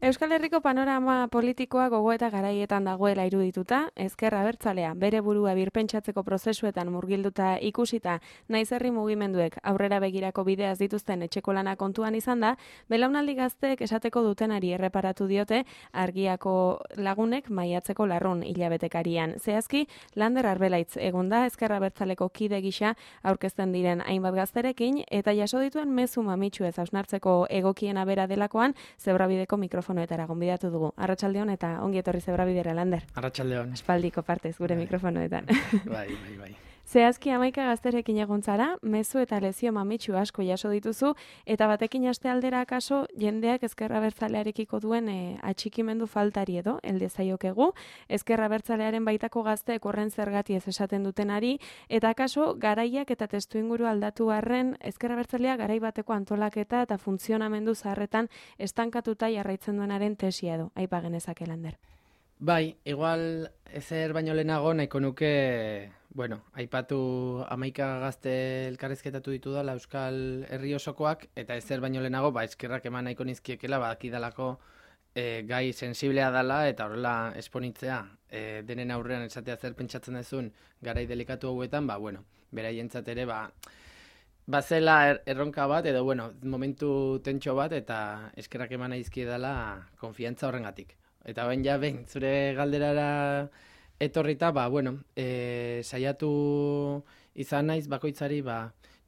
Euskal Herriko panorama politikoa gogo eta garaietan dagoela irudituta, ezker abertzalea bere burua birpentsatzeko prozesuetan murgilduta ikusita, naiz herri mugimenduek aurrera begirako bideaz dituzten etxeko lana kontuan izan da, belaunaldi gazteek esateko dutenari erreparatu diote argiako lagunek maiatzeko larrun hilabetekarian. Zehazki, Lander Arbelaitz egonda ezker abertzaleko kide gisa aurkezten diren hainbat gazterekin eta jaso dituen mezu mamitsuez hausnartzeko egokiena bera delakoan, Zebrabideko mikrofonoetara gonbidatu dugu. Arratsaldeon eta ongi etorri Zebrabidera, Lander. Arratsaldeon. Espaldiko partez gure mikrofonoetan. Bai. Zehazki 11 gazterekin egon zara, mezu eta lezio mamitsu asko jaso dituzu, eta batekin aste aldera akaso jendeak ezker abertzalearekiko duen atxikimendu faltari edo, elde zaiokegu, ezker abertzalearen baitako gazteek horren zergati ez esaten dutenari, eta akaso garaiak eta testuinguru aldatu arren ezker abertzalea garai bateko antolaketa eta funtzionamendu zaharretan estankatuta jarraitzen duenaren tesia edo, aipa genezake, Lander. Bai, igual ezer baino lehenago nahiko nuke, aipatu 11 gazte elkarrizketatu ditu dela Euskal Herri osokoak, eta ezer baino lehenago, eskerrak eman nahiko nizkiekela, badakidalako gai sensiblea dela, eta horrela esponitzea, denen aurrean esatea zer pentsatzen dezun garai delikatu hauetan, beraientzat ere, bazela erronka bat, edo, momentu tentxo bat, eta eskerrak eman naizkie dela konfiantza horrengatik. Eta behin zure galderara etorrita, saiatu izan naiz bakoitzari,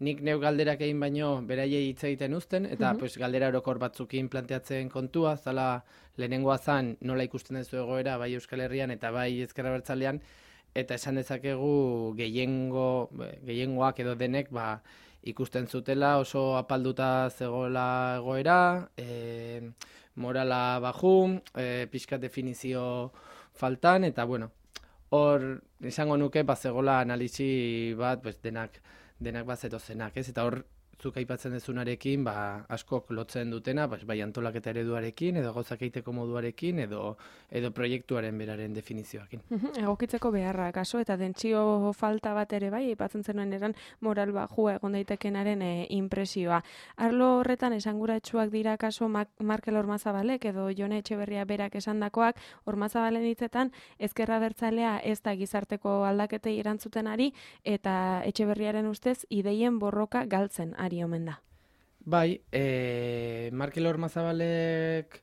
nik neu galderak egin baino beraiei hitz egiten uzten, eta galdera orokor batzukin planteatzen kontua, zala lehenengoa zan nola ikusten duzu egoera, bai Euskal Herrian eta bai Ezker Abertzalean, eta esan dezakegu gehiengoak edo denek ikusten zutela oso apalduta zegoela egoera, morala bajum, pixkat definizio faltan, eta hor izango nuke zegoela analisi bat denak bazetozenak, ez? Eta hor zuk aipatzen dezunarekin askok lotzen dutena, bai antolaketa ereduarekin, edo gauzak egiteko moduarekin, edo proiektuaren beraren definizioakin. Egokitzeko beharra, kaso, eta dentsio falta bat ere bai, aipatzen zenuen eran moral bajua egon daitekenaren inpresioa. Arlo horretan esanguratsuak dira kaso Markel Ormazabalek edo Jone Etxeberria berak esandakoak, Ormazabalen hitzetan Ezker Abertzalea ez da gizarteko aldaketei erantzuten ari, eta Etxeberriaren ustez ideien borroka galtzen ari omen da. Bai, Markel Ormazabalek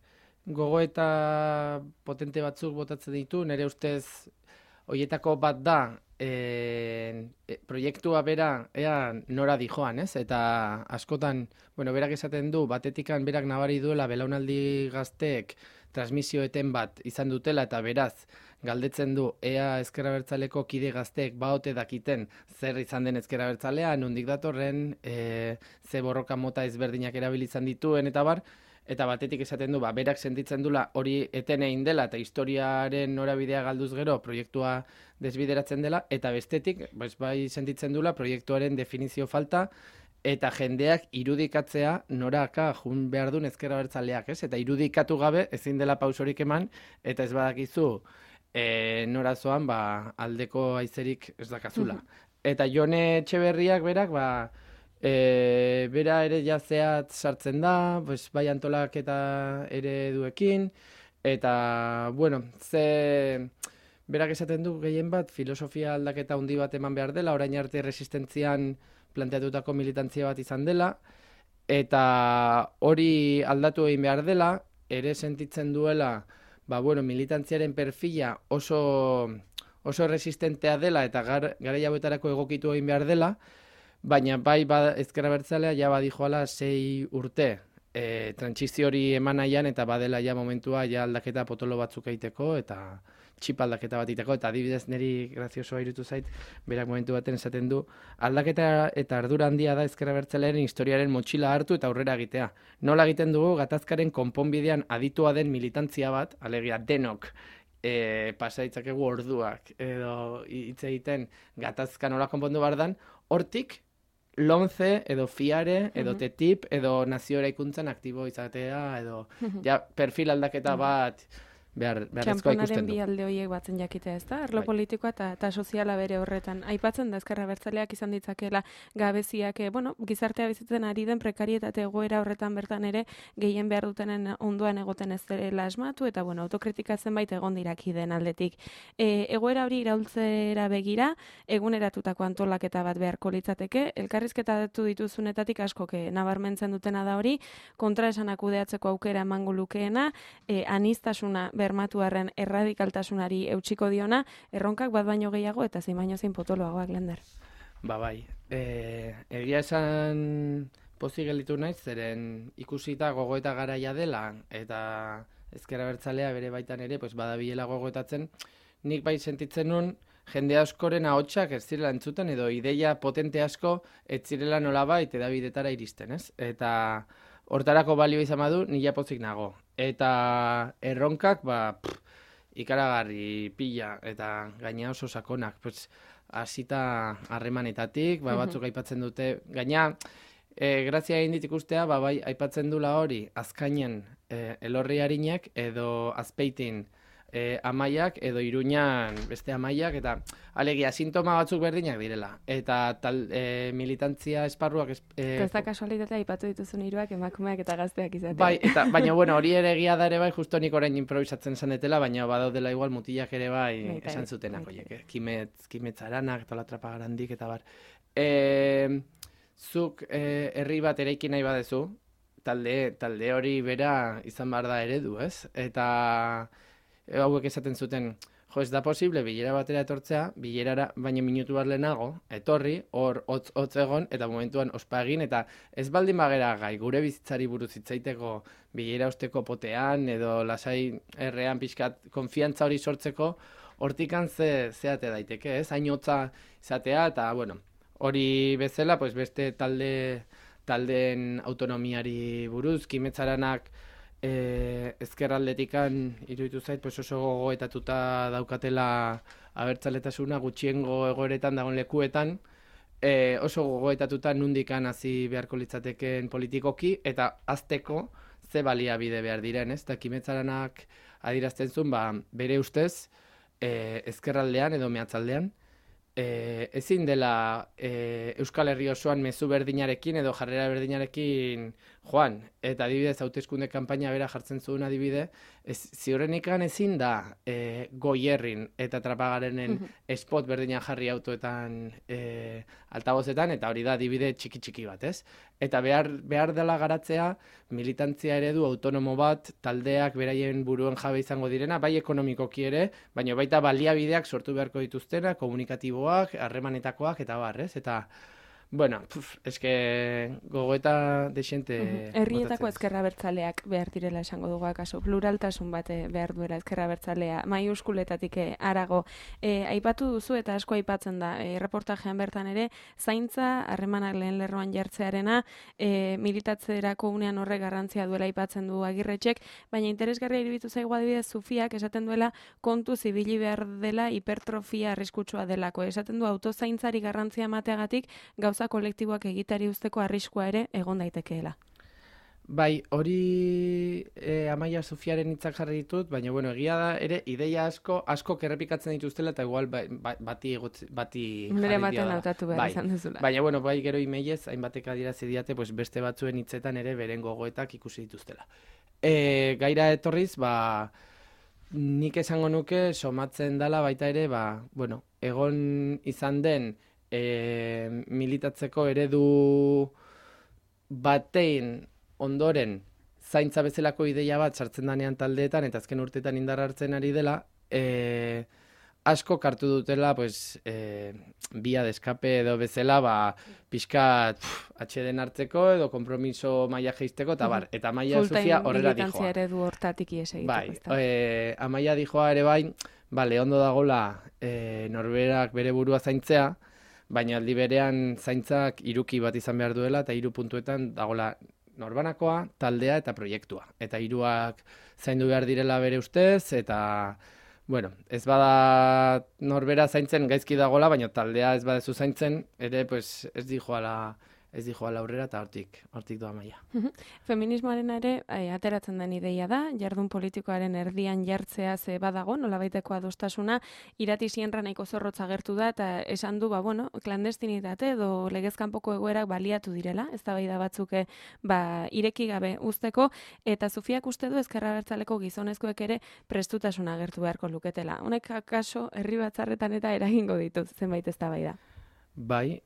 gogoeta potente batzuk botatzen ditu, nire ustez hoietako bat da proiektua bera ea nora dijoan, ez? Eta askotan, berak esaten du, batetikan berak nabari duela belaunaldi gazteek transmisioeten bat izan dutela, eta beraz galdetzen du ea Ezker Abertzaleko kide gazteek baote dakiten zer izan den Ezker Abertzalea, nondik datorren, ze borroka mota ezberdinak erabilizan dituen, eta eta batetik esaten du, berak sentitzen dula hori eten egin dela, eta historiaren norabidea galduz gero proiektua desbideratzen dela, eta bestetik, bai sentitzen dula proiektuaren definizio falta, eta jendeak irudikatzea noraka jun behar duen Ezker Abertzaleak, ez? Eta irudikatu gabe ezin dela pausorik eman, eta ez badakizu norazoan aldeko aizerik ez dakazula. Eta Jone Etxeberriak berak, bera ere jazeat sartzen da, bai antolaketa ereduekin, eta, berak esaten du gehien bat, filosofia aldaketa handi bat eman behar dela, orain arte resistentzian planteatutako militantzia bat izan dela, eta hori aldatu egin behar dela, ere sentitzen duela, militantziaren perfila oso resistentea dela, eta garai hauetarako egokitu egin behar dela, baina Ezker Abertzalea ja badijoala 6 urte trantsizio hori eman nahian, eta badela ja momentua aldaketa potolo batzuk egiteko, eta txip aldaketa bat egiteko, eta adibidez niri graziosoa irutu zait, berak momentu baten esaten du, aldaketa eta ardura handia da Ezker Abertzalearen historiaren motxila hartu eta aurrera egitea. Nola egiten dugu gatazkaren konponbidean aditua den militantzia bat, alegia denok, pasa ditzakegu orduak, edo hitz egiten gatazka nola konpondu bardan, hortik LOMCE, edo FIARE, edo TTIP, edo nazio eraikuntzan aktibo izatea, edo perfil aldaketa bat beharrezkoa ikusten Txamponaren du. bi alde horiek batzen jakitea, ez da? Arlo Bai. politikoa eta soziala bere horretan. Aipatzen da ezker abertzaleak izan ditzakeela gabeziak, gizartea bizitzen ari den prekarietate egoera horretan bertan ere gehien behar dutenen ondoan egoten ez dela asmatu, eta autokritika zenbait egon dirakiden aldetik. Egoera hori iraultzera begira, eguneratutako antolaketa bat beharko litzateke, elkarrizketatu dituzunetatik askok nabarmentzen dutena da hori, kontraesanak kudeatzeko aukera emango lukeena, aniztasuna bermatuarren erradikaltasunari eutsiko diona, erronkak bat baino gehiago eta zein baino zein potoloagoak, Lender. Bai, egia esan pozik gelditu naiz, zeren ikusita gogoeta garaia dela, eta ezker abertzalea bere baitan ere, badabilela gogoetatzen, nik bai sentitzen nun, jende askoren ahotsak ez zirela entzuten, edo ideia potente asko ez zirela nolabait edabidetara iristen, ez? Eta hortarako balio izan badu, nila pozik nago. Eta erronkak, ikaragarri pila, eta gaina oso sakonak, hasita harremanetatik, batzuk aipatzen dute, gaina, grazia egin dit ikustea, bai, aipatzen dula hori, azkainen elorri harinek, edo azpeitin amaiak, edo Iruñan beste amaiak, eta alegia, sintoma batzuk berdinak direla. Eta militantzia esparruak... Ez da kasualitatea aipatu dituzun hiruak emakumeak eta gazteak izatea. Bai, baina hori ere egia da ere bai, justo nik orain improvisatzen zanetela, baina badaudela igual mutilak ere bai esan zutenak, Kimetz Aranak, eta Latrapa Garandik, eta bar. Zuk herri bat eraiki nahi badezu, talde hori bera izan behar da eredu, ez? Eta hauek esaten zuten, ez da posible bilera batera etortzea, bilerara baina minutu bat lehenago, etorri, hor hotz egon, eta momentuan ospa egin, eta ez baldin bagera gai, gure bizitzari buruz hitzaiteko bilera osteko potean, edo lasai errean pixkat konfiantza hori sortzeko, hortikan zeate daiteke, ez? Hain hotza izatea, eta hori bezala, beste taldeen autonomiari buruz, Kimetz Aranak ezkerraldetikan iruditu zait, oso gogoetatuta daukatela abertzaletasuna gutxiengo egoeretan dagoen lekuetan, oso gogoetatuta nundikan hasi beharko litzateken politikoki, eta azteko ze baliabide behar diren, ez? Eta Kimetz Aranak adierazten zuen, bere ustez, ezkerraldean edo mehatzaldean, ezin dela Euskal Herri osoan mezu berdinarekin edo jarrera berdinarekin joan, eta adibidez hauteskunde kanpaina bera jartzen zuen adibide, ziurrenikan ezin da Goierrin eta Trapagarenen spot berdina jarri autoetan altabozetan, eta hori da adibide txiki bat, ez? Eta behar dela garatzea militantzia eredu autonomo bat, taldeak beraien buruen jabe izango direna, bai ekonomikoki ere, baina baita baliabideak sortu beharko dituztena, komunikatiboak, harremanetakoak, eta ez? Eta, eske gogoeta desente... Herrietako ezkerra abertzaleak behar direla esango dugu akaso, pluraltasun bat behar duela ezkerra abertzalea, maiuskuletatik harago. Aipatu duzu eta asko aipatzen da, reportajean bertan ere, zaintza harremanak lehen lerroan jartzearena, militatzerako unean horre garrantzia duela aipatzen du Agirretxek, baina interesgarria iruditu zaigu adibidez Zufiak esaten duela kontu zibili behar dela hipertrofia arriskutsua delako. Esaten du autozaintzari garrantzia emateagatik gauza kolektiboak egitari usteko arriskua ere egon daitekeela. Bai, hori Amaia Zufiaren hitzak jarri ditut, baina egia da ere ideia asko errepikatzen dituztela eta igual bati nire baten hautatu behar izan duzula. Baina bai gero imeiez, hainbatek adierazi diate beste batzuen hitzetan ere beren gogoetak ikusi dituztela. Gaira etorriz, nik esango nuke somatzen dela baita ere, egon izan den militatzeko eredu batein ondoren zaintza bezalako ideia bat sartzen danean taldeetan eta azken urteetan indar hartzen ari dela, asko kartu dutela via de escape edo bezala pixkat atxeden hartzeko edo kompromiso maila jeisteko eta bar, eta Amaia Zufia horrela dijoa. Militantzia eredu hortatik ies egiteko. Amaia dijoa ere bai, ondo dagola norberak bere burua zaintzea, baina aldi berean zaintzak hiruki bat izan behar duela eta 3 puntuetan dagola norbanakoa, taldea eta proiektua. Eta 3ak zaindu behar direla bere ustez, eta ez bada norbera zaintzen gaizki dagola, baina taldea ez badezu zaintzen, ere ez dijoala ez di joala aurrera eta hortik doa maia. Feminismoaren ere ateratzen den ideia da, jardun politikoaren erdian jartzea ze badago, nolabaiteko adostasuna, Irati Sienra nahiko zorrotz agertu da, eta esan du, klandestinitate edo legezkanpoko egoerak baliatu direla, eztabaida batzuk ireki gabe uzteko, eta Zufiak uste du Ezker Abertzaleko gizonezkoek ere prestutasuna agertu beharko luketela. Honek akaso herri batzarretan eta eragingo ditu zenbait eztabaida. Bai.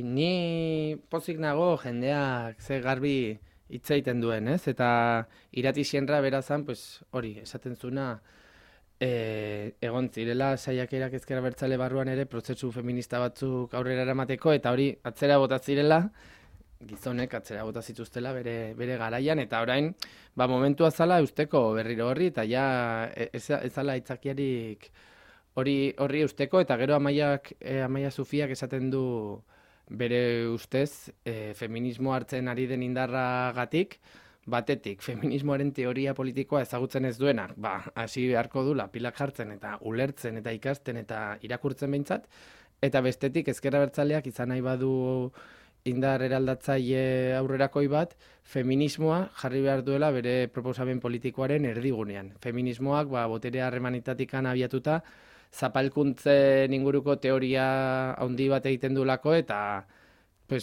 Ni pozik nago jendeak ze garbi hitz egiten duen, ez? Eta Irati Sienra berazan, pues hori, esaten zuna, egon zirela saiakerak Ezker Abertzale barruan ere prozesu feminista batzuk aurrera eramateko, eta hori atzera bota zirela, gizonek atzera bota zituztela bere garaian, eta orain, momentua zala eusteko berriro horri, eta ja ez zala aitzakiarik horri eusteko, eta gero Amaia Zufiak esaten du bere ustez feminismo hartzen ari den indarragatik, batetik, feminismoaren teoria politikoa ezagutzen ez duenak, hasi beharko dula pilak jartzen eta ulertzen eta ikasten eta irakurtzen behintzat, eta bestetik Ezker Abertzaleak izan nahi badu indar eraldatzaile aurrerakoi bat, feminismoa jarri behar duela bere proposamen politikoaren erdigunean. Feminismoak botere harremanitatikan abiatuta, zapalkuntzen inguruko teoria handi bat egiten duelako, eta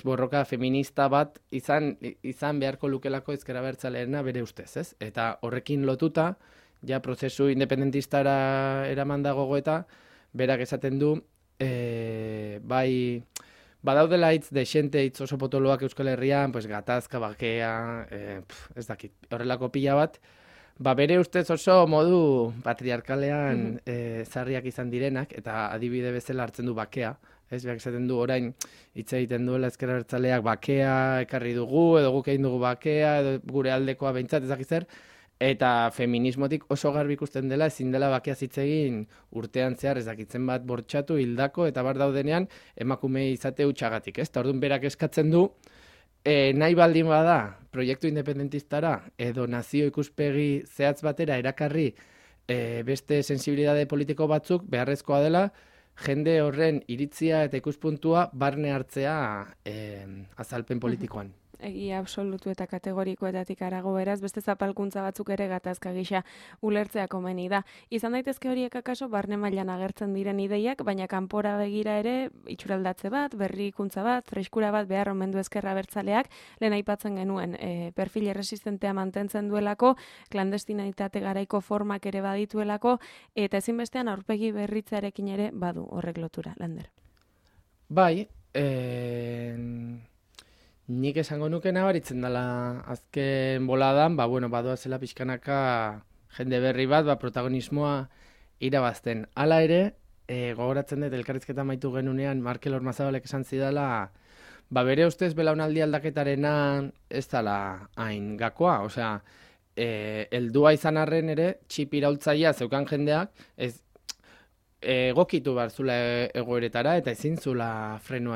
borroka feminista bat izan beharko lukelako Ezker Abertzaleena bere ustez, ez? Eta horrekin lotuta, ja prozesu independentistara eraman da gogoeta, berak esaten du, badaudela hitz dexente, hitz oso potoloak Euskal Herrian, gatazka, bakea, ez dakit, horrelako pila bat, bere ustez oso modu patriarkalean zarriak izan direnak, eta adibide bezala hartzen du bakea, ez, berak esaten du orain hitz egiten duela Ezker Abertzaleak bakea ekarri dugu, edo guk egin dugu bakea, edo gure aldekoa behintzat ezak zer, eta feminismotik oso garbi ikusten dela, ezin dela bakea hitz egin urtean zehar ezakitzen bat bortxatu, hildako, eta bar daudenean emakume izate hutsagatik, ez? Eta orduan berak eskatzen du, nahi baldin bada proiektu independentistara edo nazio ikuspegi zehatz batera erakarri beste sensibilitate politiko batzuk beharrezkoa dela jende horren iritzia eta ikuspuntua barne hartzea azalpen politikoan. Egia absolutu eta kategorikoetatik arago beraz, beste zapalkuntza batzuk ere gatazka gisa ulertzea komeni da. Izan daitezke horiek akaso barne mailan agertzen diren ideiak, baina kanpora begira ere itxuraldatze bat, berrikuntza bat, freskura bat behar omen du Ezker Abertzaleak, lehen aipatzen genuen perfil erresistentea mantentzen duelako, klandestinitate garaiko formak ere badituelako, eta ezinbestean aurpegi berritzearekin ere badu horrek lotura, Lander. Bai, nik esango nuke nabaritzen dela azken boladan, badoazela pixkanaka jende berri bat, protagonismoa irabazten. Hala ere, gogoratzen dut elkarrizketa maitu genunean Markel Ormazabalek esan zidala, bere ustez belaunaldi aldaketarena ez dela hain gakoa, osea, heldua izan arren ere, txip iraultzailea zeukan jendeak, ez egokitu behar zula egoeretara, eta ezin zula freno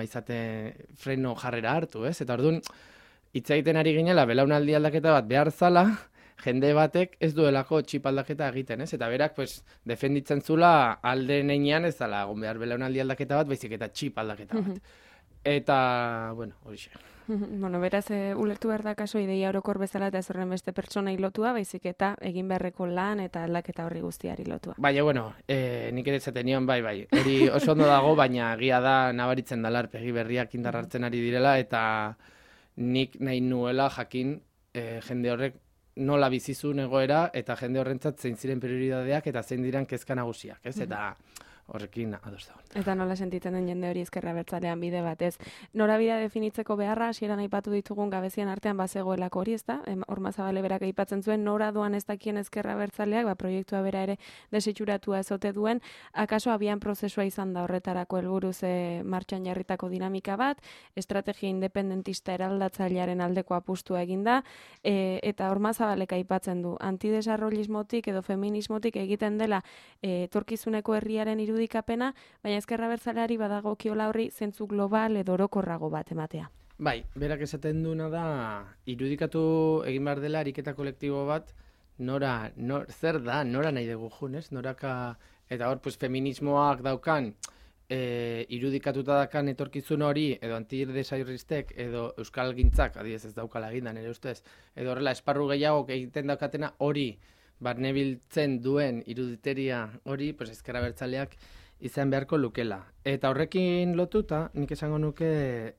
jarrera hartu, ez? Eta orduan, hitz egiten ari ginela, belaunaldi aldaketa bat behar zala, jende batek ez duelako txip aldaketa egiten, ez? Eta berak, defenditzen zula alde neinean ez dela egon behar belaunaldi aldaketa bat, baizik eta txip aldaketa bat. Eta, horixe. Beraz, ulertu behar da kaso ideia orokor bezala eta ez horren beste pertsonai lotua, baizik eta egin beharreko lan eta aldaketa horri guztiari lotua. Baina, nik ere zaten nion, bai, hori oso ondo dago, baina egia da nabaritzen dela arpegi berriak indar hartzen ari direla, eta nik nahi nuela jakin jende horrek nola bizizun egoera, eta jende horrentzat zein ziren prioridadeak, eta zein diran kezka nagusiak, ez? Eta horrekin ados dago. Eta nola sentitzen den jende hori Ezker Abertzalean bide batez. Norabidea definitzeko beharra, hasieran aipatu ditugun gabezian artean bazegoelako hori, ezta? Ormazabale berak aipatzen zuen, nora doan ez dakien Ezker Abertzaleak, proiektua bera ere desitxuratua ezote duen, akaso abian prozesua izan da horretarako helburuz martxan jarritako dinamika bat, estrategia independentista eraldatzailearen aldeko apustua eginda, eta Ormazabalek aipatzen du, antidesarrollismotik edo feminismotik egiten dela etorkizuneko herriaren irudikapena, baina Ezker Abertzaleari badagokiola horri zentzu global edo orokorrago bat ematea. Bai, berak esaten duena da, irudikatu egin behar dela ariketa kolektibo bat, zer da, nora nahi dugu junez, noraka, eta hor, feminismoak daukan, irudikatuta dakan etorkizun hori, edo antidesairristek, edo euskalgintzak, adibidez ez daukala eginda nire ustez, edo horrela esparru gehiago egiten daukatena hori, barnebiltzen duen iruditeria hori, pues ezker abertzaleak izan beharko lukela. Eta horrekin lotuta, nik esango nuke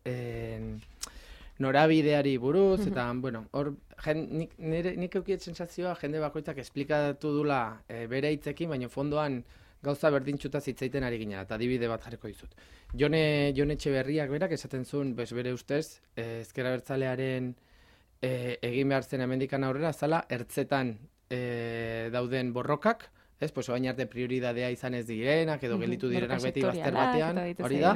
norabideari buruz, eta, bueno, hor, nik eukiet sensazioa jende bakoitzak esplikatu dula bere hitzekin, baina fondoan gauza berdintxuta zitzaiten ari ginen, eta adibide bat jarriko dizut. Jone Etxeberriak berak esaten zuen, bere ustez, ezker abertzalearen egin behar zen hemendikan aurrera, zala, ertzetan dauden borrokak, ez, pues oain arte prioridadea izan ez direnak, edo gelditu direnak beti bazter batean, hori da,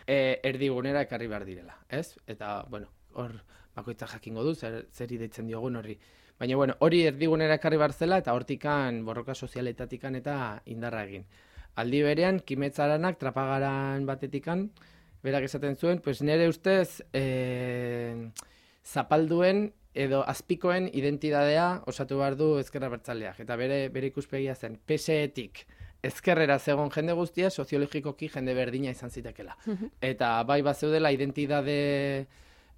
erdigunera ekarri behar direla, ez? Eta, bueno, hor bakoitza jakingo du, zer ideitzen diogun horri. Baina, bueno, hori erdigunera ekarri behar zela, eta hortikan, borroka sozialetatikan eta indarra egin. Aldi berean, Kimetzaranak, trapagaran batetikan, berak esaten zuen, pues nire ustez, zapalduen edo azpikoen identidadea osatu behar du ezker abertzaleak. Eta bere ikuspegia zen, PSE-tik ezkerrera zegoen jende guztia, soziologikoki jende berdina izan zitekela. Eta bai bat zeudela identidade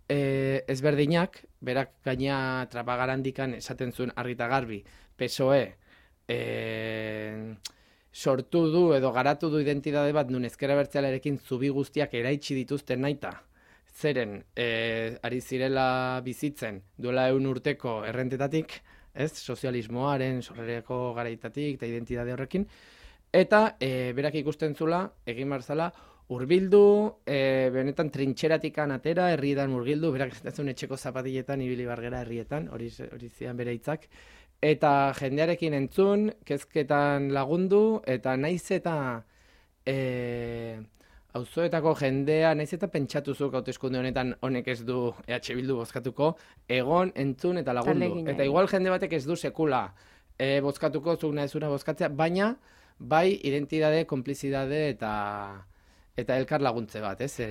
ezberdinak, berak gaina trapagarandikan esaten zuen argita garbi, PSOE sortu du edo garatu du identidade bat nun ezker abertzalearekin zubi guztiak eraitsi dituzten naita, zeren ari zirela bizitzen duela 100 urteko errentetatik, ez, sozialismoaren sorrereko garaitatik eta identitate horrekin, eta berak ikusten zula, egin barzala, hurbildu, benetan trintxeratikan atera, herrietan murgildu, berak esaten etxeko zapatiletan, ibili bargera herrietan, hori zian bere hitzak, eta jendearekin entzun, kezketan lagundu, eta naiz eta auzoetako jendea, naiz eta pentsatuzuk hauteskunde honetan honek ez du EH Bildu bozkatuko, egon, entzun eta lagundu. Eta igual jende batek ez du sekula bozkatuko, zuk nahezuna bozkatzea, baina bai identidade, konplizidade eta elkar laguntze bat, ez?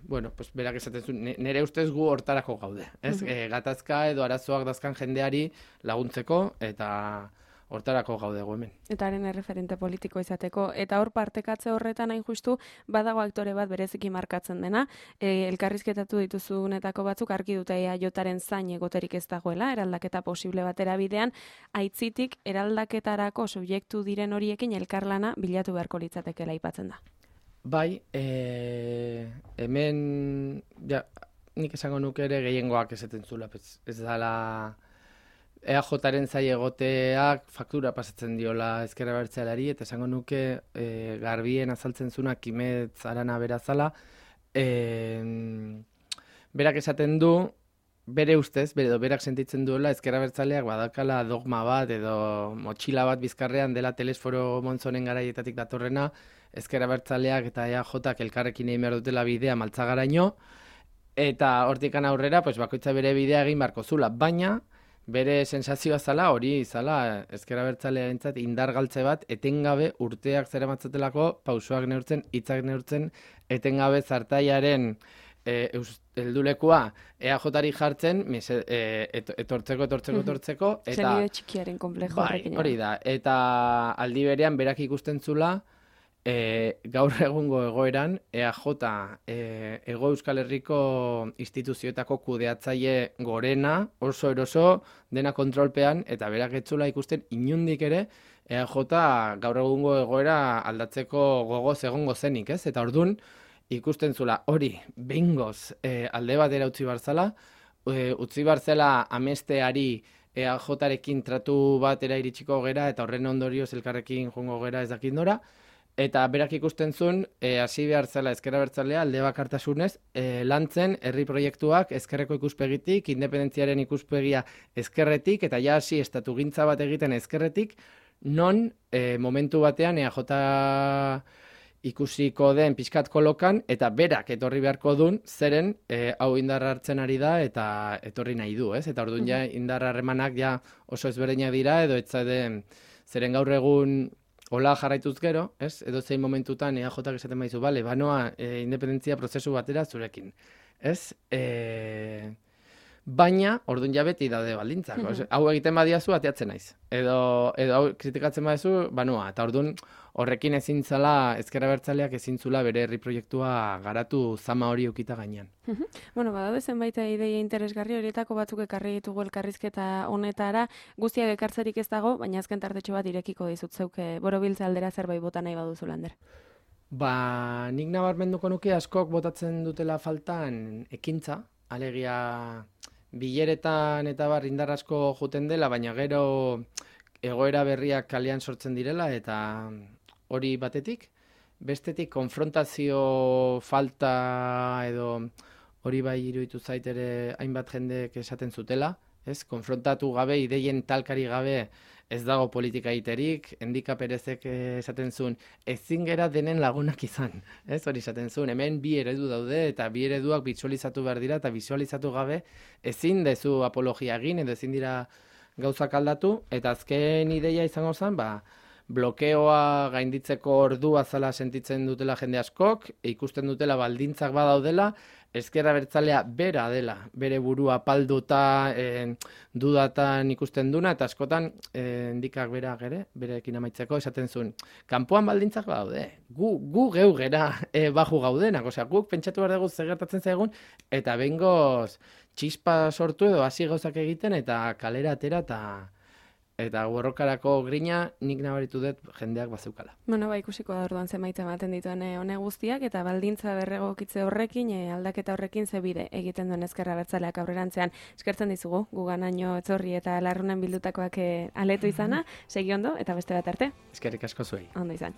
Bueno, pues berak esaten zuen, nire ustez gu hortarako gaude, ez? Gatazka edo arazoak dazkan jendeari laguntzeko eta hortarako gaude hemen. Eta haren erreferente politiko izateko. Eta hor partekatze horretan hain justu, badago aktore bat bereziki markatzen dena. Elkarrizketatu dituzunetako batzuk argi dute jotaren zain egoterik ez dagoela, eraldaketa posible batera bidean, aitzitik eraldaketarako subjektu diren horiekin elkarlana bilatu beharko litzatekela aipatzen da. Bai, hemen, ja, nik esango nuke ere gehiengoak esaten zula, ez dala EAJaren zai egoteak faktura pasatzen diola ezker abertzaleari, eta esango nuke garbien azaltzen zuna Kimetz Arana berazala, berak esaten du, bere ustez, berak sentitzen duela ezker abertzaleak badakala dogma bat edo motxila bat bizkarrean dela Telesforo Monzonen garaietatik datorrena, ezker abertzaleak eta EAJak elkarrekin egin behar dutela bidea maltzagaraino, eta hortikan aurrera, pues, bakoitza bere bidea egin barko zula, baina bere sensazioa zala, hori zala, ezker abertzalearentzat indar galtze bat, etengabe urteak zeramatzatelako, pausoak neurtzen, hitzak neurtzen, etengabe zartaiaren heldulekua EAJari jartzen, etortzeko. Eta Senide txikiaren komplejo horrekin. Bai, hori da, eta aldi berean berak ikusten zula, gaur egungo egoeran, EAJ Hego Euskal Herriko instituzioetako kudeatzaile gorena, oso eroso, dena kontrolpean, eta berak etzula ikusten inundik ere, EAJ gaur egungo egoera aldatzeko gogoz egongo zenik, ez? Eta ordun ikusten zula hori behingoz alde batera utzi barzala, utzi barzela amesteari EAJarekin tratu batera iritsiko gera, eta horren ondorioz elkarrekin joango gera ez dakit nora, eta berak ikusten zuen, hasi behar zela ezker abertzalea alde bakartasunez, lantzen herri proiektuak ezkerreko ikuspegitik, independentziaren ikuspegia ezkerretik, eta ja hasi estatugintza bat egiten ezkerretik, non momentu batean EAJ ikusiko den pixkat kolokan, eta berak etorri beharko dun, zeren hau indarra hartzen ari da, eta etorri nahi du, ez? Eta orduan ja indarra harremanak ja oso ezberdinak dira, edo etzade zeren gaur egun hola jarraituz gero, ez? Edo zein momentutan EAJak esaten baizu, bale, banoa independentzia prozesu batera zurekin, ez? baina orduan ja beti daude baldintzak. Hau egiten badiazu ateatzen naiz. Edo hau kritikatzen badiazu, banua. Eta orduan horrekin ezin zala, ezker abertzaleak ezin zula bere herri proiektua garatu zama hori ukita gainean. Bueno, badaude zenbait ideia interesgarri horietako batzuk ekarri ditugu elkarrizketa honetara, guztiak ekartzerik ez dago, baina azken tartetxo bat irekiko dizut zeuk borobiltze aldera zerbait bota nahi baduzu, Lander. Nik nabarmenduko nuke askok botatzen dutela faltan ekintza, alegia bileretan eta indar asko juten dela, baina gero egoera berriak kalean sortzen direla eta hori batetik. Bestetik konfrontazio falta edo hori bai iruditu zait ere hainbat jendek esaten zutela, ez? Konfrontatu gabe, ideien talkari gabe ez dago politika egiterik, Endika Perezek esaten zuen, ezin gera denen lagunak izan, ez? Hori esaten zuen, hemen bi eredu daude eta bi ereduak bisualizatu behar dira eta bisualizatu gabe ezin dezu apologia egin edo ezin dira gauzak aldatu, eta azken ideia izango zen, blokeoa gainditzeko ordua zala sentitzen dutela jende askok, ikusten dutela baldintzak badaudela, ezker abertzalea bera dela, bere burua palduta, dudatan ikusten duna, eta askotan Endikak berak ere, berekin amaitzeko, esaten zuen, kanpoan baldintzak badaude, gu geu gera baju gaudenak, osea, guk pentsatu behar dugu zegertatzen zaigun, eta bengoz txispa sortu edo hasi gauzak egiten, eta kalera atera, eta borrokarako grina nik nabaritu dut jendeak bazeukala. Bueno, ikusiko da orduan zenbait ematen dituen hone guztiak, eta baldintza berregokitze horrekin, aldaketa horrekin zebide egiten duen ezker abertzaleak aurrerantzean. Eskertzen dizugu, guganaino etzorri eta larrunan bildutakoak aletu izana, segi ondo, eta beste bat arte. Eskerrik asko zuei. Ondo izan.